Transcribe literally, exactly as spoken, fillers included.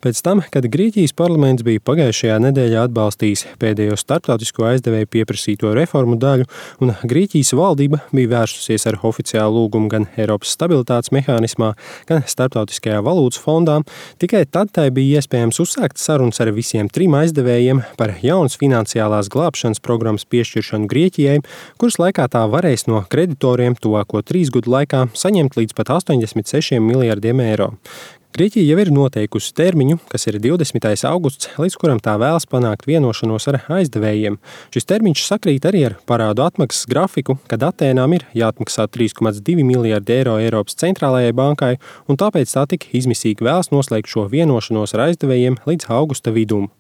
Pēc tam, kad Grieķijas parlaments bija pagājušajā nedēļā atbalstījis pēdējo starptautisko aizdevēju pieprasīto reformu daļu, un Grieķijas valdība bija vērsusies ar oficiālu lūgumu gan Eiropas stabilitātes mehānismā, gan Starptautiskajā valūtas fondā, tikai tad tai bija iespējams uzsākt sarunas ar visiem trim aizdevējiem par jaunas finansiālās glābšanas programmas piešķiršanu Grieķijai, kuras laikā tā varēs no kreditoriem tuvāko trīs gadu laikā saņemt līdz pat astoņdesmit sešiem miljardiem eiro. Grieķija jau ir noteikusi termiņu, kas ir divdesmitais augusts, līdz kuram tā vēlas panākt vienošanos ar aizdevējiem. Šis termiņš sakrīt arī ar parādu atmaksas grafiku, kad Atēnām ir jāatmaksā trīs komats divi miljardi eiro Eiropas centrālajai bankai, un tāpēc tā tik izmisīgi vēlas noslēgt šo vienošanos ar aizdevējiem līdz augusta vidum.